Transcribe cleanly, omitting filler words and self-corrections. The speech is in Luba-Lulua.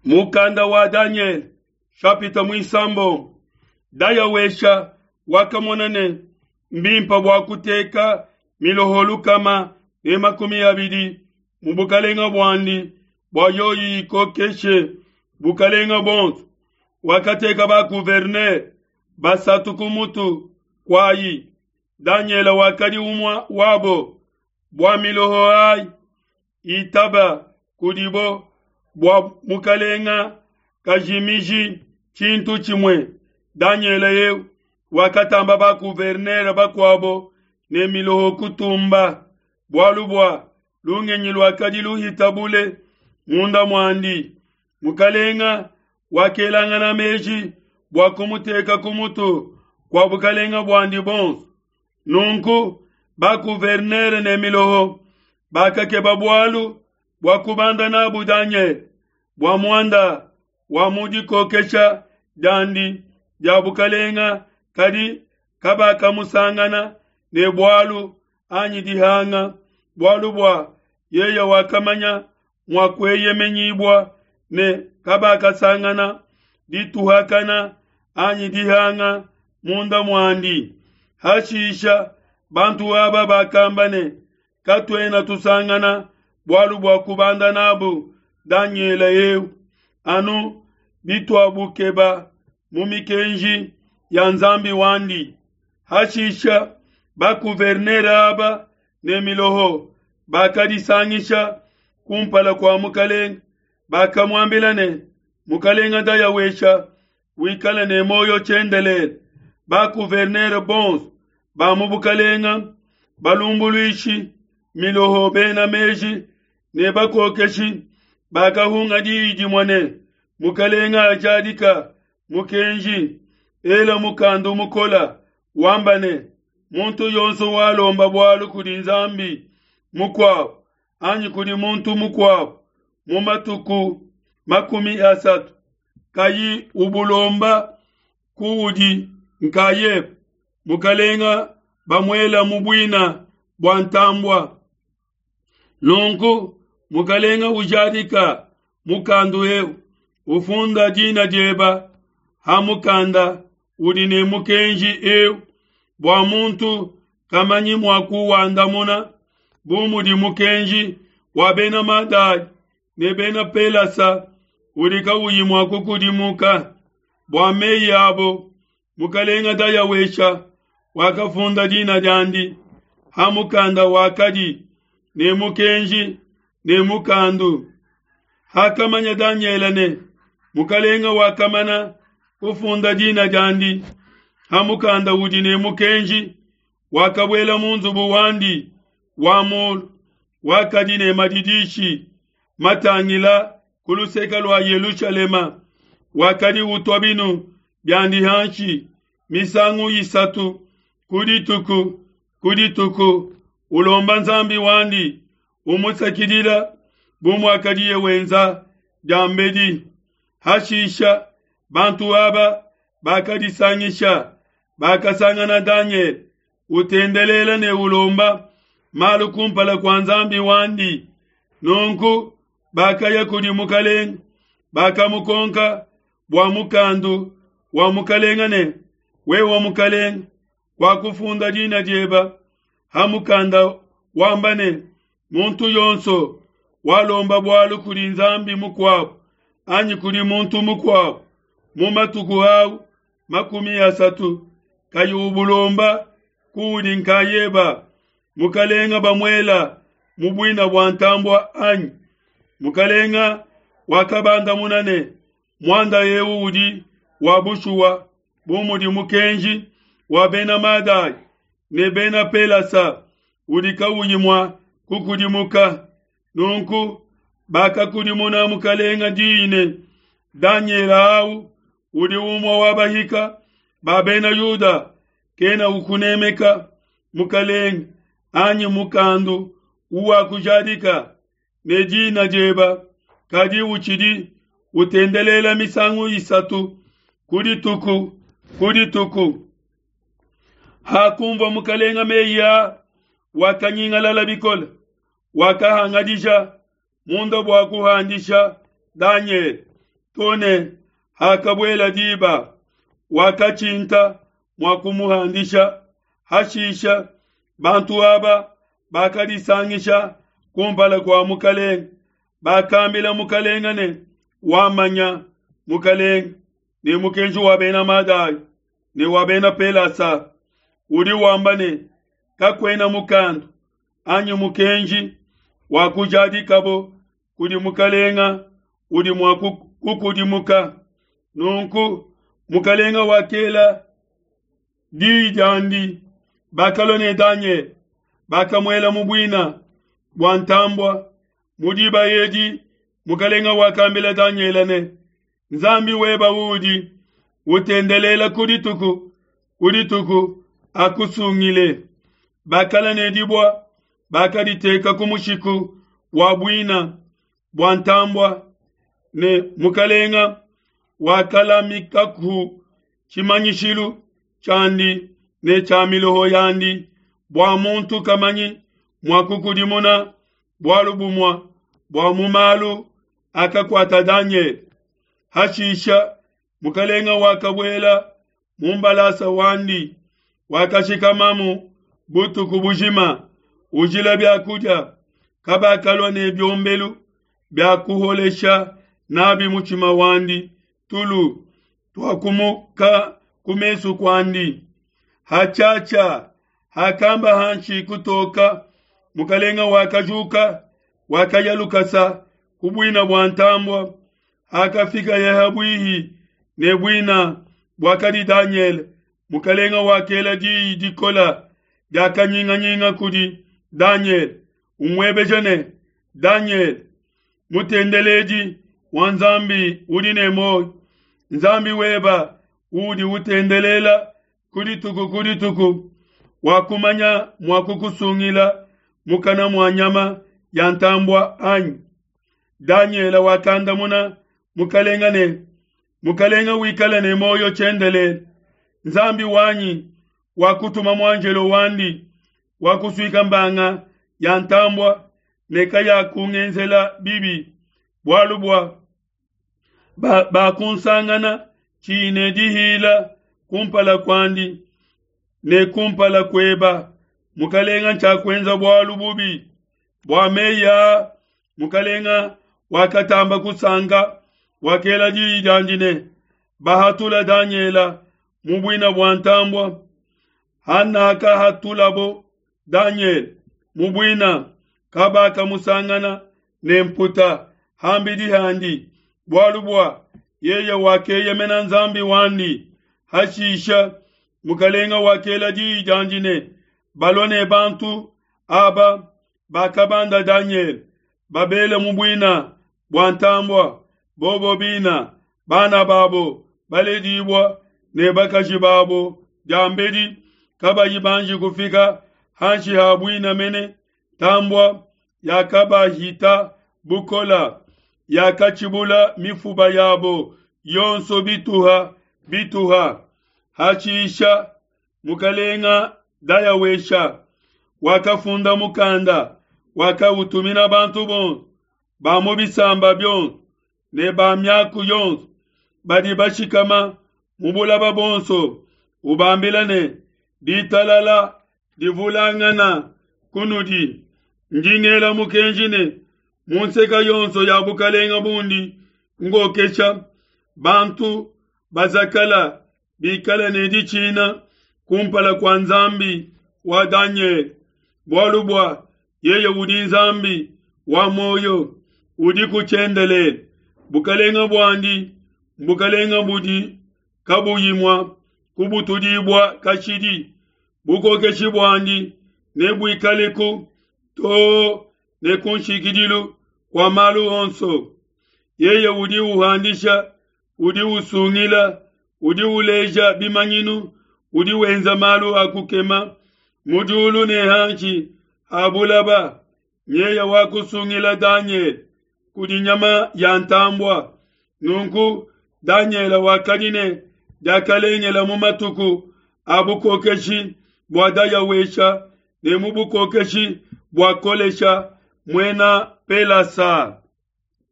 Mukanda wa Danyele shapita muisambombo. Dayawesha wakamona ne mbimpe bua kuteka miloho 120 mu bukalenga buandi bua yoyi ikokeshe bukalenga buonso. Wakateka ba gouverneur basatu ku mutu kuayi. Danyele wakadi umue wabo. Bua miloho ayi itaba kudibo bua mukalenga kajimiji tshintu tshimue. Danyele eu wakatamba ba gouverneur bakuabo ne miloho kutumba, bualu bua lungenyi luakadi luhita bule munda muandi. Mukalenga wakelangana meji bua kumuteka ku mutu kua bukalenga buandi buonso. Nunku ba gouverneur ne miloho bakakeba bualu bua kubanda nabu Danyele bua muanda wa mu dikokesha diandi dia bukalenga, kadi kabakamusangana ne bualu anyi dihanga, bualu bua yeye wakamanya mua kueyemenyibua ne kabakasangana dituhakana anyi dihanga munda muandi. Hashisha bantu aba bakamba ne, Katuena tusangana bualu bua kubanda nabu Danyele eu, anu bituabukeba mu mikenji ya Nzambi wandi. Hashisha ba-gouverneur aba ne miloho bakadisangisha kumpala kua mukelenge, bakamuambila ne, Mukelenge Dayawesha, wikale ne muoyo tshiendelele. Ba-gouverneur bonso ba mu bukelenge, balumbuluishi, miloho, bena meji ne bakokeshi bakahunga diyi dimue ne, Mukelenge ajadika mukenji, ela mukandu mukola, wamba ne, muntu yonso walomba bualu kudi Nzambi mukuabo anyi kudi muntu mukuabo mu matuku 30, kayi ubulomba kuudi nkayebe, mukalenga bamuela mu buina bua ntambua. Nunku mukalenga ujadika mukandu eu, ufunda dina dieba ha mukanda udi ne mukenji eu, bua muntu kamanyi mua kuwandamuna, bu mudi mukenji wa bena Madai ne bena Pelasa udi kauyi mua kukudimuka. Bua meyi abo, mukalenga Dayawesha wakafunda dina diandi ha mukanda wakadi ne mukenji ne mukandu. Hakamanya Danyele ne mukalenga wakamana kufunda dina diandi ha mukanda udi ne mukenji, wakabuela mu nzubu wandi wa mulu wakadi ne madidishi matangila ku luseke lua Yelushalema, wakadi utua binu biandi hanshi misangu isatu ku dituku ku dituku, ulomba Nzambi wandi, umusakidila bu muakadiye wenza diambedi. Hashisha bantu aba bakadisangisha, bakasangana Danyele utendelela ne ulomba malu kumpala kua Nzambi wandi. Nunku bakaya kudi mukalenge, bakamukonka bua mukandu wa mukalenge ne, Wewe mukalenge, wakufunda dina dieba ha mukanda wamba ne, muntu yonso walomba bualu kudi Nzambi mukuabo anyi kudi muntu mukuabo mu matuku au 30, kayi ubulomba kuudi nkayeba, mukalenga bamuela mu buina bua ntambua anyi? Mukalenga wakabandamuna ne, muanda eu udi wa bushuwa, bu mudi mukenji wa bena Madai ne bena Pelasa udi kauyi mua kukudimuka. Nunku bakakudimuna mukalenga diyi ne, Danyele au udi umue wa bahika ba bena Yuda kena ukunemeka mukalenge anyi mukandu uwakujadika ne dina dieba, kadi utshidi utendelela misangu isatu ku dituku ku dituku. Hakumvua mukalenga meyi aa, wakanyingalala bikole, wakahangadija munda bua kuhandisha Danyele. to ne hakabuela diba, wakatshinta mua kumuhandisha. Hashisha bantu aba bakadisangisha kumpala kua mukelenge, bakambila mukelenge ne, Wamanya, mukelenge, ne mukenji wa Bena Madai ne wa Bena Pelasa udi wamba ne, Kakuena mukandu anyi mukenji wa kujadikabo kudi mukalenga udi mua kukudimuka. Nunku mukalenga wakela diyi diandi, bakalua ne Danyele, bakamuela mu buina bua ntambua. Mu diba edi mukalenga wakambila Danyele ne, Nzambi weba uudi utendelela ku dituku ku dituku akusungile. Bakala ne dibua bakaditeka ku mushiku wa buina bua ntambua, ne mukalenga wakalamikaku tshimanyishilu tshiandi ne tshia miloho yandi, bua muntu kamanyi mua kukudimuna bualu bumue bua mu malu akakuata Danyele. Hashisha mukalenga wakabuela mu mbalasa wandi, wakashikamamu butuku bujima ujila bia kudia. Kabakalua ne biombelu bia kuholesha nabi mutshima wandi, tulu tuakumuka ku mesu kuandi. Hatshiatshia, hakamba hanshi kutoka, mukalenga wakajuka, wakaya lukasa ku buina bua ntambua. Hakafikaye ha buihi ne buina buakadi Danyele, mukalenga wakela diyi dikola dia kanyinganyinga kudi Danyele, umuebeja ne, Danyele, mutendeledi wa Nzambi udi ne muoyo, Nzambi weba uudi utendelela ku dituku ku dituku, wakumanya mua kukusungila mukana mua nyama ya ntambua anyi? Danyele wakandamuna mukalenga ne, Mukalenga wikale ne muoyo tshiendelele. Nzambi wanyi wakutuma muanjelo wandi wakusuika mbanga ya ntambua ne kayakungenzela bibi, bualu bua bakunsangana ba tshiyi ne dihila kumpala kuandi ne kumpala kueba, mukalenga, ntshiakuenza bualu bubi. Bua meyi aa mukalenga wakatamba kusanka, wakela diyi diandi ne, Bahatula Danyela mu buina bua ntambua. Hanakahatulabo Danyele mu buina, kabakamusangana ne mputa ham'bidi handi, bualu bua yeye wakeyemena Nzambi wandi. Hashisha mukalenga wakela diyi diandi ne, Balua ne bantu aba bakabanda Danyele, babele mu buina bua ntambua, bobo bina, bana babo baledibua ne bakaji babo diambedi kabayi banji kufika hanshi ha buina mene, ntambua yakabahita bukola, yakatshibula mifuba yabo yonso bituha bituha. Hashisha mukalenga Dayawesha wakafunda mukanda, wakautumina bantu bonso ba mu bisamba bionso ne ba miaku yonso badi bashikama mu bulaba bonso, ubambila ne, Ditalala divulangana kunudi. Ndi ngela mukenji ne, mu nseka yonso ya bukalenga bundi ngokesha, bantu bazakala bikale ne ditshina kumpala kua Nzambi wa Danyele, bualu bua yeye udi Nzambi wa muoyo, udiku tshiendelele. Bukalenga buandi mbukalenga budi kabuyi mua kubutudibua kashidi, bukokeshi buandi nebuikaleku too ne ku nshikidilu kua malu onso. Yeye udi uhandisha udi usungila, udi uleja bimanyinu, udi wenza malu a kukema mu diulu ne hanshi ha bulaba. Nyeye wakusungila Danyele kudi nyama ya ntambua. Nunku Danyele wakadi ne diakalengela mu matuku a bukokeshi bua Dayawesha ne mu bukokeshi bua Kolesha muena Pelasa.